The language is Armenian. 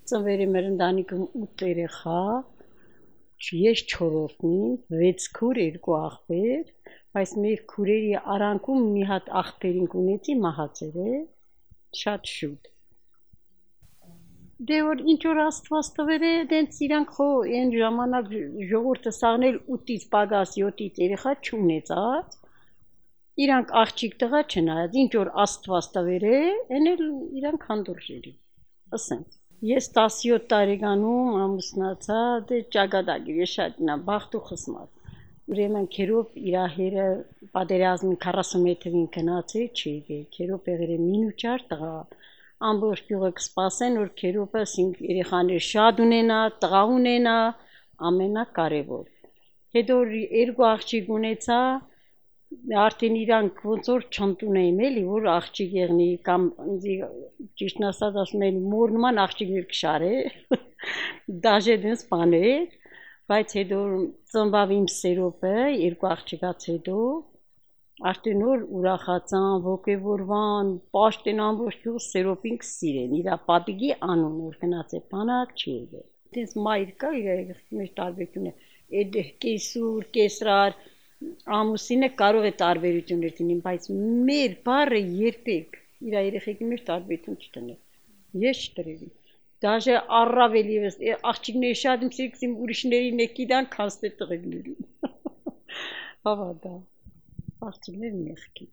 Ծնվերի մեր ընտանիքում 8 երեխա, ես 4-րդն եմ, 6 քուր, 2 աղբեր, բայց մեր քուրերի արանքում մի հատ աղբերին ունեցի մահացել է, շատ շուտ։ Դե որ ինչ որ Աստված տվել է, դենց իրանք խո այն ժամանակ ժողովուրդը սաղնել 8-ից պագաս 7-ից երեխա չունեցած, իրանք աղջիկ տղա չնայած, ինչ որ Աստված տվել է, այն էլ իրանք հանդուրժելի, ասենք։ Ես 17 տարեկանում ամուսնացա, դե ճակատագիր է շատ նա բախտ ու խսմատ։ Ուրեմն քերոբ իր հերը պատերազմին 41 թվին գնացել չի եկել, քերոբ եղել է մինուճար տղա, ամբողջ գյուղը կսպասեն, որ քերոբս երեխաներ շատ ունենա, տղա ունենա, ամենակարևոր։ Հետո 2 աղջիկ ունեցա, արդեն իրանք ոնց որ չընդունեին էլի, որ աղջիկ եղնի կամ ճիշտն ասած ասում են մոր նման աղջիկներ կշարե, դաժե դենց բաներ, բայց հետո ծնվավ իմ սերոպը 2 աղջիկից հետո արդեն որ ուրախացան, ոգևորվան, պաշտեն ամբողջ գյուղ սերոպին կսիրեն, իրա պատիգի անուն որ գնաց է բանակ չի եղել։ Դենց մայր կա իր երեխի մեջ տարբերություն է, այդ կեսուր, կեսրար, ամուսինը կարող է տարբերություններ լինի, բայց մեր բառը երբեք իր երեխեքի մեջ տարբերություն չտներ։ Ես չտրերի։ Դաժե առավել եւս աղջիկները շատ իմ սիրեցին ուրիշներին է գիտան, քան թե տղերներին։ Հավատա։ Աղջիկներ մեղքի։